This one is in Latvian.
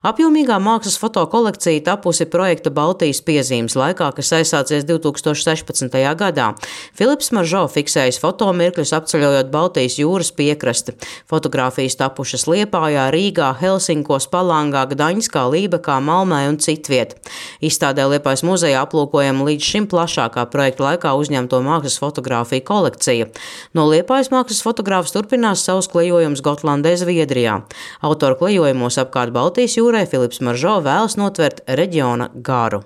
Apjomīgā mākslas fotokolekcija tapusi projekta Baltijas piezīmes laikā, kas aizsācies 2016. gadā. Filips Maržo fiksējis fotomirkļus apceļojot Baltijas jūras piekrasti. Fotogrāfijas tapušas Liepājā, Rīgā, Helsinkos, Palangā, Gdaņskā, Lībekā, Malmē un citviet. Izstādē Liepājas muzejā aplūkojama līdz šim plašākā projekta laikā uzņemto mākslas fotogrāfiju kolekcija. No Liepājas mākslas fotogrāfs turpinās savus klejojumus Gotlandē, Zviedrijā. Autoru klejojumos apkārt Baltijas jūrai Filips Maržo vēlas notvert reģiona garu.